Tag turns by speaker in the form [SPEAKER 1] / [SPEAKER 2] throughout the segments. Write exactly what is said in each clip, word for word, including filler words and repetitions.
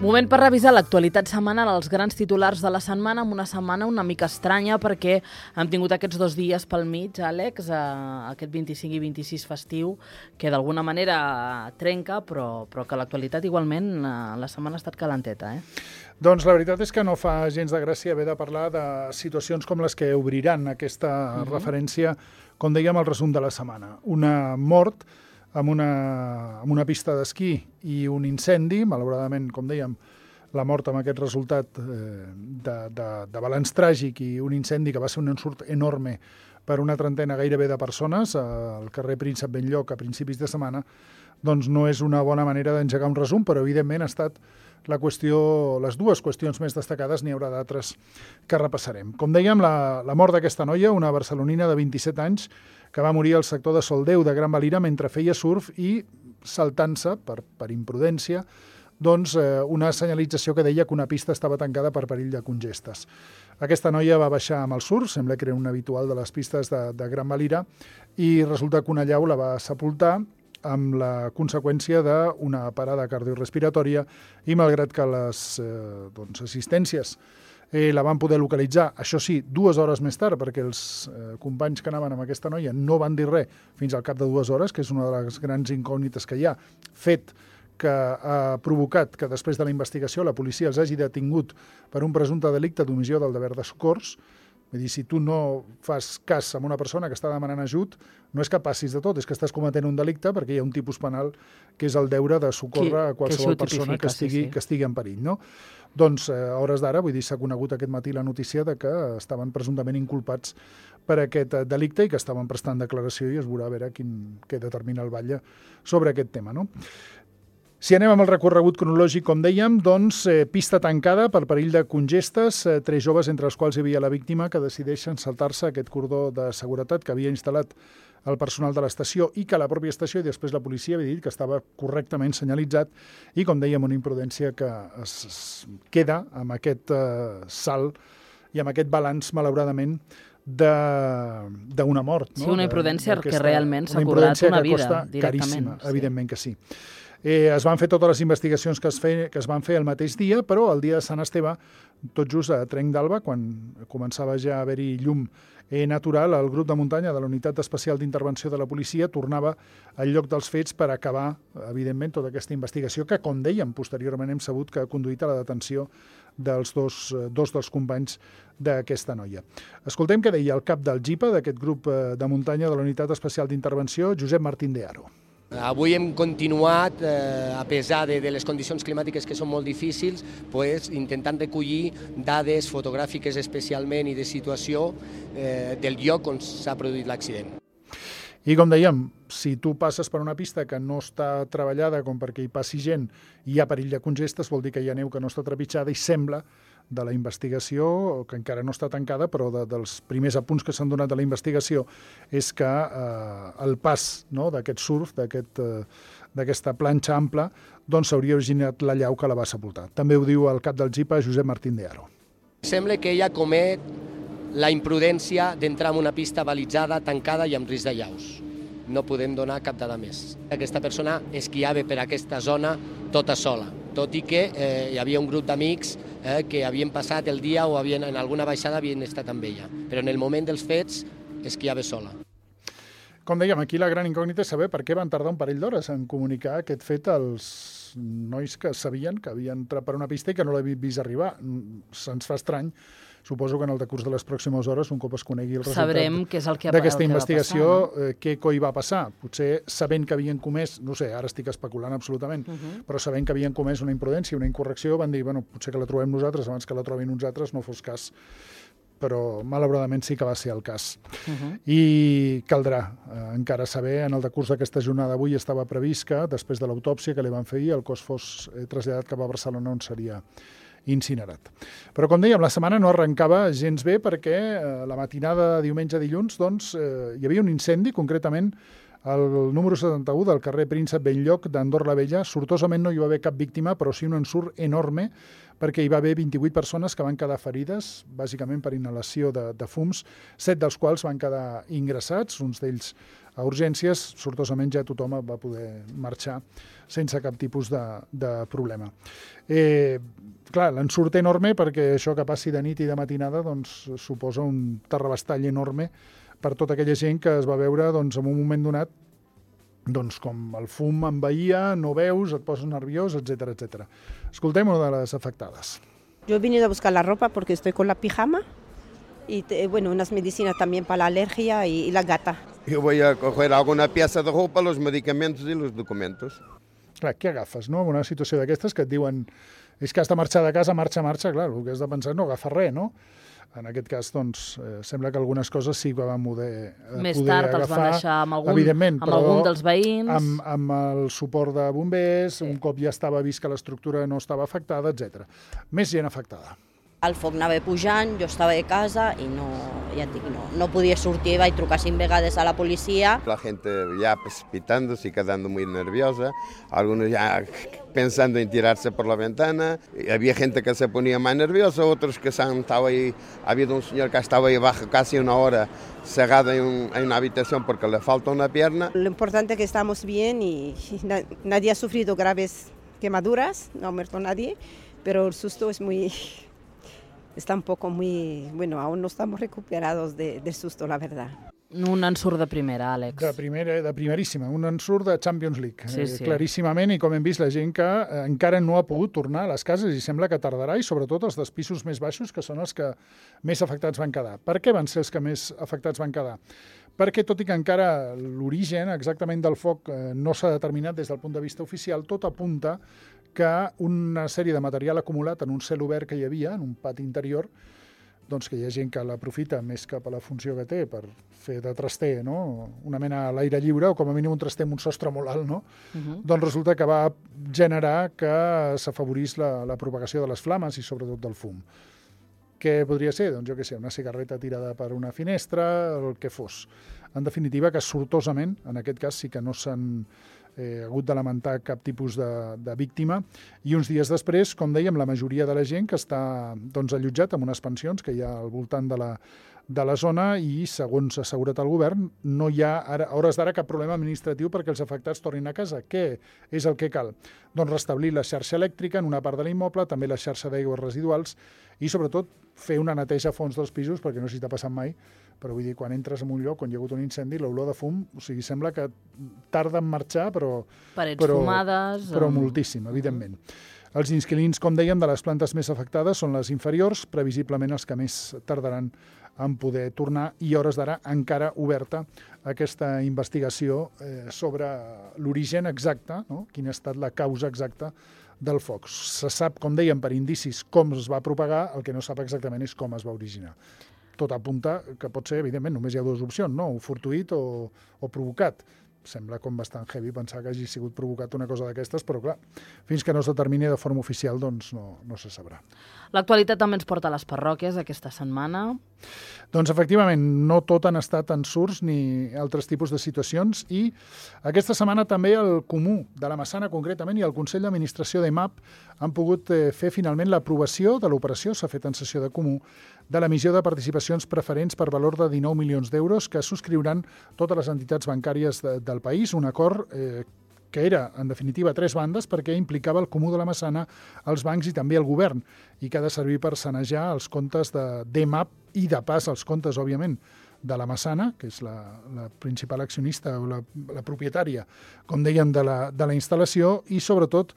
[SPEAKER 1] Moment per revisar l'actualitat setmanal, els grans titulars de la setmana, amb una setmana una mica estranya perquè hem tingut aquests dos dies pel mig, Àlex, eh, aquest vint-i-cinc i vint-i-sis festiu, que d'alguna manera trenca, però, però que l'actualitat igualment eh, la setmana ha estat calenteta. Eh?
[SPEAKER 2] Doncs la veritat és que no fa gens de gràcia haver de parlar de situacions com les que obriran aquesta uh-huh. referència, com dèiem, al resum de la setmana. Una mort amb una, amb una pista d'esquí i un incendi, malauradament, com dèiem, la mort amb aquest resultat eh, de, de, de balanç tràgic i un incendi que va ser un ensurt enorme per una trentena gairebé de persones al carrer Príncep Benlloc a principis de setmana, doncs no és una bona manera d'engegar un resum, però evidentment ha estat la qüestió, les dues qüestions més destacades, n'hi haurà d'altres que repassarem. Com dèiem, la, la mort d'aquesta noia, una barcelonina de vint-i-set anys, que va morir al sector de Soldeu de Gran Valira mentre feia surf i saltant-se, per, per imprudència, doncs, eh, una senyalització que deia que una pista estava tancada per perill de congestes. Aquesta noia va baixar amb el surf, sembla que era un habitual de les pistes de, de Gran Valira, i resulta que una llau la va sepultar amb la conseqüència d'una parada cardiorespiratòria i malgrat que les eh, doncs, assistències eh, la van poder localitzar, això sí, dues hores més tard, perquè els eh, companys que anaven amb aquesta noia no van dir res fins al cap de dues hores, que és una de les grans incògnites que hi ha, fet que ha provocat que després de la investigació la policia els hagi detingut per un presumpte delicte d'omissió del deber de socors. Vull dir, si tu no fas cas a una persona que està demanant ajut, no és que passis de tot, és que estàs cometent un delicte perquè hi ha un tipus penal que és el deure de socórrer a qualsevol persona que estigui, sí, sí. que estigui en perill. No? Doncs, eh, a hores d'ara, vull dir, s'ha conegut aquest matí la notícia de que estaven presumptament inculpats per aquest delicte i que estaven prestant declaració i es veurà a veure quin, què determina el batlle sobre aquest tema. No? Si anem amb el recorregut cronològic, com dèiem, doncs eh, pista tancada per perill de congestes, eh, tres joves entre els quals hi havia la víctima que decideixen saltar-se aquest cordó de seguretat que havia instal·lat el personal de l'estació i que la pròpia estació i després la policia havia dit que estava correctament senyalitzat i, com dèiem, una imprudència que es, es queda amb aquest eh, salt i amb aquest balanç, malauradament, d'una mort. No?
[SPEAKER 1] Sí, una imprudència que realment s'ha cobrat una vida directament.
[SPEAKER 2] Caríssima,
[SPEAKER 1] sí.
[SPEAKER 2] evidentment que sí. Eh, es van fer totes les investigacions que es, fe, que es van fer el mateix dia, però el dia de Sant Esteve, tot just a Trenc d'Alba, quan començava ja a haver-hi llum eh, natural, el grup de muntanya de la Unitat Especial d'Intervenció de la Policia tornava al lloc dels fets per acabar, evidentment, tota aquesta investigació que, com dèiem, posteriorment hem sabut que ha conduït a la detenció dels dos, dos dels companys d'aquesta noia. Escoltem què deia el cap del GIPA, d'aquest grup de muntanya de la Unitat Especial d'Intervenció, Josep Martín de Haro.
[SPEAKER 3] Avui hem continuat, eh, a pesar de, de les condicions climàtiques que són molt difícils, pues, intentant recollir dades fotogràfiques especialment i de situació eh, del lloc on s'ha produït l'accident.
[SPEAKER 2] I com dèiem, si tu passes per una pista que no està treballada com perquè hi passi gent i hi ha perill de congestes, vol dir que hi ha neu que no està trepitjada i sembla de la investigació, que encara no està tancada, però de, dels primers apunts que s'han donat de la investigació és que eh, el pas, no, d'aquest surf, d'aquest, eh, d'aquesta planxa ampla, doncs s'hauria originat la llau que la va sepultar. També ho diu el cap del GIPA, Josep Martín de Haro.
[SPEAKER 3] Sembla que ella comet la imprudència d'entrar en una pista balitzada, tancada i amb risc de llaus. No podem donar cap dada més. Aquesta persona esquiava per aquesta zona tota sola, tot i que eh, hi havia un grup d'amics eh, que havien passat el dia o havien, en alguna baixada havien estat amb ella, però en el moment dels fets esquiava sola.
[SPEAKER 2] Com dèiem, aquí la gran incògnita és saber per què van tardar un parell d'hores en comunicar aquest fet als nois que sabien que havien entrat per una pista i que no l'havien vist arribar. Se'ns fa estrany. Suposo que en el decurs de les pròximes hores, un cop es conegui el resultat d'aquesta investigació,
[SPEAKER 1] passar, no?
[SPEAKER 2] què coi va passar. Potser sabent que havien comès, no sé, ara estic especulant absolutament, uh-huh. però sabent que havien comès una imprudència, una incorrecció, van dir, bueno, potser que la trobem nosaltres abans que la trobin uns altres, no fos cas. Però malauradament sí que va ser el cas. Uh-huh. I caldrà eh, encara saber, en el decurs d'aquesta jornada d'avui estava previst que, després de l'autòpsia que li van fer ahir, el cos fos eh, traslladat cap a Barcelona, on seria incinerat. Però, com dèiem, la setmana no arrencava gens bé perquè eh, la matinada de diumenge a dilluns doncs, eh, hi havia un incendi, concretament Al número setanta-u del carrer Príncep Benlloc d'Andorra la Vella, sortosament no hi va haver cap víctima, però sí un ensurt enorme, perquè hi va haver vint-i-vuit persones que van quedar ferides, bàsicament per inhalació de, de fums, set dels quals van quedar ingressats, uns d'ells a urgències. Sortosament ja tothom va poder marxar sense cap tipus de, de problema. Eh, clar, l'ensurt enorme, perquè això que passi de nit i de matinada doncs, suposa un terrabastall enorme per tota aquella gent que es va veure doncs, en un moment donat doncs, com el fum envaïa, no veus, et poses nerviós, etcètera, etcètera. Escoltem una de les afectades.
[SPEAKER 4] Yo he venido a buscar la ropa porque estoy con la pijama y bueno, unas medicinas también para la alergia y, y la gata.
[SPEAKER 5] Yo voy a coger alguna pieza de ropa, los medicamentos y los documentos.
[SPEAKER 2] Clar, què agafes, no? En una situació d'aquestes que et diuen és que has de marxar de casa, marxa, marxa, clar, el que has de pensar és no agafar res, no? En aquest cas, doncs, eh, sembla que algunes coses sí que van poder, eh,
[SPEAKER 1] Més
[SPEAKER 2] poder
[SPEAKER 1] tard
[SPEAKER 2] agafar,
[SPEAKER 1] els van deixar amb algun,
[SPEAKER 2] evidentment,
[SPEAKER 1] amb algun dels veïns.
[SPEAKER 2] Amb, amb el suport de bombers, sí. Un cop ja estava vist que l'estructura no estava afectada, etcètera. Més gent afectada.
[SPEAKER 6] El foc anava pujant, jo estava de casa i no, ja et dic, no, no podia sortir, vaig trucar cinc vegades a la policia.
[SPEAKER 5] La gente ya precipitándose y quedando muy nerviosa, algunos ya pensando en tirarse por la ventana, y había gente que se ponía más nerviosa, otros que se han estado ahí, ha habido un señor que ha estado ahí abajo casi una hora cerrado en, un, en una habitación porque le falta una pierna.
[SPEAKER 4] Lo importante es que estamos bien y na- nadie ha sufrido graves quemaduras, no ha muerto nadie, pero el susto es muy... Está un poco muy... Bueno, aún no estamos recuperados de, del susto, la verdad.
[SPEAKER 1] Un ensurt de primera, Àlex.
[SPEAKER 2] De, primera, de primeríssima, un ensurt de Champions League,
[SPEAKER 1] sí, sí.
[SPEAKER 2] Eh, claríssimament, i com hem vist la gent que eh, encara no ha pogut tornar a les cases i sembla que tardarà, i sobretot els dels pisos més baixos, que són els que més afectats van quedar. Per què van ser els que més afectats van quedar? Perquè, tot i que encara l'origen exactament del foc eh, no s'ha determinat des del punt de vista oficial, tot apunta que una sèrie de material acumulat en un cel obert que hi havia, en un pati interior, doncs que hi ha gent que l'aprofita més cap a la funció que té per fer de traster, no? Una mena a l'aire lliure, o com a mínim un traster amb un sostre molt alt, no? Uh-huh. Doncs resulta que va generar que s'afavorís la, la propagació de les flames i sobretot del fum. Què podria ser? Doncs jo què sé, una cigarreta tirada per una finestra, el que fos. En definitiva, que sortosament, en aquest cas sí que no s'han eh, hagut de lamentar cap tipus de, de víctima, i uns dies després, com dèiem, la majoria de la gent que està doncs, allotjat en unes pensions que hi ha al voltant de la, de la zona, i segons ha assegurat el govern, no hi ha ara, a hores d'ara cap problema administratiu perquè els afectats tornin a casa. Què és el que cal? Doncs restablir la xarxa elèctrica en una part de l'immoble, també la xarxa d'aigües residuals, i sobretot fer una neteja a fons dels pisos, perquè no sé si t'ha passat mai, però vull dir, quan entres en un lloc on hi ha hagut un incendi, l'olor de fum, o sigui, sembla que tarda en marxar, però...
[SPEAKER 1] Parets
[SPEAKER 2] però,
[SPEAKER 1] fumades...
[SPEAKER 2] Però
[SPEAKER 1] amb...
[SPEAKER 2] moltíssim, evidentment. Els inquilins, com dèiem, de les plantes més afectades són les inferiors, previsiblement els que més tardaran en poder tornar, i a hores d'ara encara oberta aquesta investigació eh, sobre l'origen exacte, no? Quina ha estat la causa exacta del foc. Se sap, com dèiem, per indicis com es va propagar, el que no sap exactament és com es va originar. Tot apunta que pot ser, evidentment, només hi ha dues opcions, no? O fortuït o, o provocat. Sembla com bastant heavy pensar que hagi sigut provocat una cosa d'aquestes, però clar, fins que no es determini de forma oficial, doncs no, no se sabrà.
[SPEAKER 1] L'actualitat també ens porta a les parròquies aquesta setmana.
[SPEAKER 2] Doncs efectivament, no tot han estat ensurts ni altres tipus de situacions, i aquesta setmana també el Comú de la Massana concretament i el Consell d'Administració d'E M A P han pogut eh, fer finalment l'aprovació de l'operació, s'ha fet en sessió de Comú, de l'emissió de participacions preferents per valor de dinou milions d'euros que subscriuran totes les entitats bancàries de, del país, un acord eh, que era, en definitiva, tres bandes, perquè implicava el Comú de la Massana, els bancs i també el govern, i que ha de servir per sanejar els comptes de d'E M A P i, de pas, els comptes, òbviament, de la Massana, que és la, la principal accionista o la, la propietària, com dèiem, de la, de la instal·lació, i, sobretot,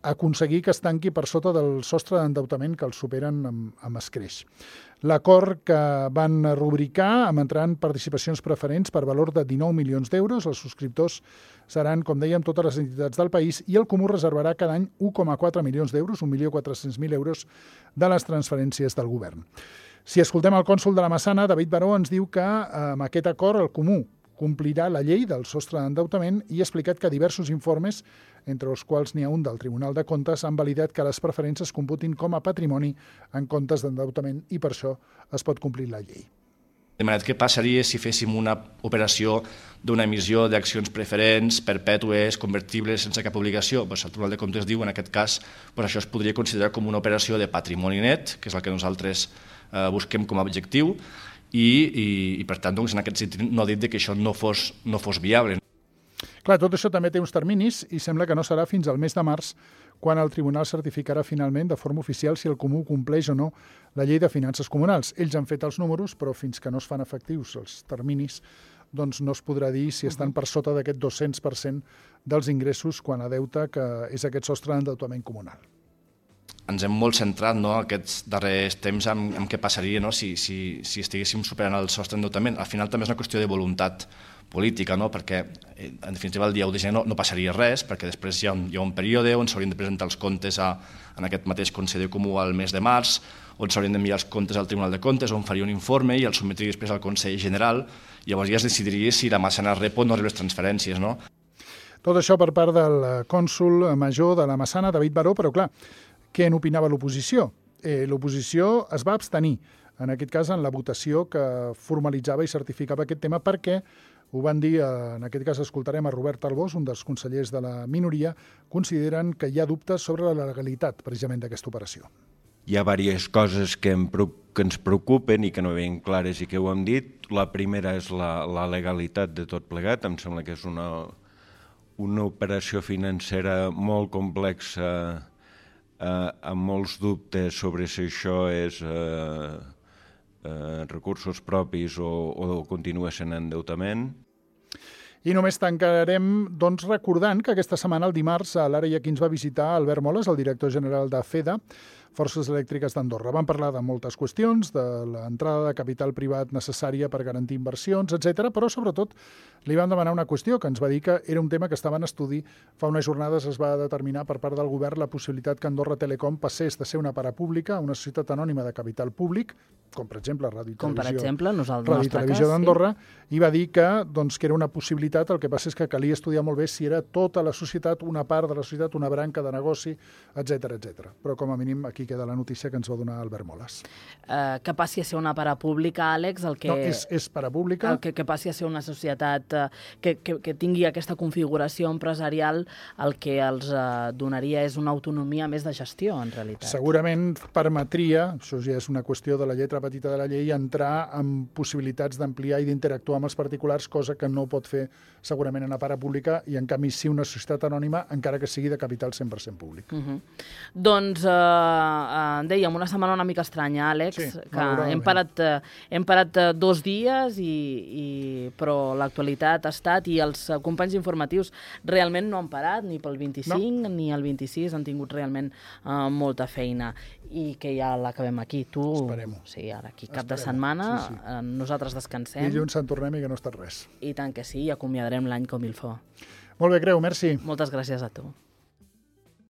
[SPEAKER 2] aconseguir que es tanqui per sota del sostre d'endeutament que els superen amb, amb escreix. L'acord que van rubricar emetran participacions preferents per valor de dinou milions d'euros. Els subscriptors seran, com dèiem, totes les entitats del país, i el Comú reservarà cada any un coma quatre milions d'euros, un milió quatre-cents mil euros de les transferències del govern. Si escoltem el cònsol de la Massana, David Baró, ens diu que amb aquest acord el Comú complirà la llei del sostre d'endeutament, i ha explicat que diversos informes, entre els quals n'hi ha un del Tribunal de Comptes, han validat que les preferents es computin com a patrimoni en comptes d'endeutament, i per això es pot complir la llei.
[SPEAKER 7] De manera que passaria si féssim una operació d'una emissió d'accions preferents, perpètues, convertibles, sense cap obligació. Pues el Tribunal de Comptes diu, en aquest cas, pues això es podria considerar com una operació de patrimoni net, que és el que nosaltres eh, busquem com a objectiu, i, i, i per tant, doncs, en aquest sentit, no ha dit que això no fos, no fos viable.
[SPEAKER 2] Clar, tot això també té uns terminis i sembla que no serà fins al mes de març quan el tribunal certificarà finalment de forma oficial si el Comú compleix o no la llei de finances comunals. Ells han fet els números, però fins que no es fan efectius els terminis, doncs no es podrà dir si estan per sota d'aquest dos-cents per cent dels ingressos quan a deute, que és aquest sostre d'endeutament comunal.
[SPEAKER 7] Ens hem molt centrat, no, aquests darrers temps en, en què passaria, no, si, si, si estiguéssim superant el sostre d'endeutament. Al final també és una qüestió de voluntat política, no? Perquè en definitiva el dia u de gener no, no passaria res, perquè després hi ha un, hi ha un període on s'haurien de presentar els comptes a, en aquest mateix Consell Comú al mes de març, on s'haurien d'enviar els comptes al Tribunal de Comptes, on faria un informe i el sotmetria després al Consell General, i llavors ja es decidiria si la Massana rep o no rep les transferències, no?
[SPEAKER 2] Tot això per part del cònsol major de la Massana, David Baró, però clar, què n'opinava l'oposició? Eh, l'oposició es va abstenir, en aquest cas en la votació que formalitzava i certificava aquest tema, perquè ho van dir, en aquest cas escoltarem a Robert Albós, un dels consellers de la minoria, consideren que hi ha dubtes sobre la legalitat precisament d'aquesta operació.
[SPEAKER 8] Hi ha diverses coses que, em, que ens preocupen i que no veiem clares i que ho hem dit. La primera és la, la legalitat de tot plegat. Em sembla que és una, una operació financera molt complexa, eh, amb molts dubtes sobre si això és eh, eh, recursos propis o, o continua sent endeutament.
[SPEAKER 2] I només tancarem doncs, recordant que aquesta setmana, el dimarts, a l'Ara i aquí ens va visitar Albert Moles, el director general de FEDA, Forces Elèctriques d'Andorra. Van parlar de moltes qüestions, de l'entrada de capital privat necessària per garantir inversions, etcètera, però sobretot li van demanar una qüestió que ens va dir que era un tema que estava en estudi. Fa unes jornades es va determinar per part del govern la possibilitat que Andorra Telecom passés de ser una parapública a una societat anònima de capital públic, com per exemple Ràdio i
[SPEAKER 1] Com per
[SPEAKER 2] Televisió,
[SPEAKER 1] exemple, nosaltres,
[SPEAKER 2] Ràdio i Televisió d'Andorra, sí. I va dir que, doncs, que era una possibilitat, el que passa és que calia estudiar molt bé si era tota la societat, una part de la societat, una branca de negoci, etcètera, etcètera. Però com a mínim aquí queda la notícia que ens va donar Albert Moles.
[SPEAKER 1] Uh, que passi a ser una parapública, Àlex, el que...
[SPEAKER 2] No, és, és parapública.
[SPEAKER 1] El que, que passi a ser una societat uh, que, que, que tingui aquesta configuració empresarial, el que els uh, donaria és una autonomia més de gestió, en realitat.
[SPEAKER 2] Segurament permetria, això ja és una qüestió de la lletra petita de la llei, entrar en possibilitats d'ampliar i d'interactuar amb els particulars, cosa que no pot fer segurament una parapública, i en canvi sí una societat anònima, encara que sigui de capital cent per cent públic.
[SPEAKER 1] Uh -huh. Doncs... Uh, Uh, dèiem, una setmana una mica estranya, Àlex,
[SPEAKER 2] sí,
[SPEAKER 1] que hem parat, uh, hem parat uh, dos dies, i, i, però l'actualitat ha estat, i els uh, companys informatius realment no han parat, ni pel vint-i-cinc no. ni el vint-i-sis, han tingut realment uh, molta feina, i que ja l'acabem aquí. Tu,
[SPEAKER 2] esperem-ho.
[SPEAKER 1] Sí, ara aquí cap Esperem-ho. de setmana, sí, sí. Uh, nosaltres descansem.
[SPEAKER 2] Dilluns en tornem i que no ha estat res.
[SPEAKER 1] I tant que sí, i acomiadarem l'any com il fa.
[SPEAKER 2] Molt bé, Creu, merci.
[SPEAKER 1] Moltes gràcies a tu.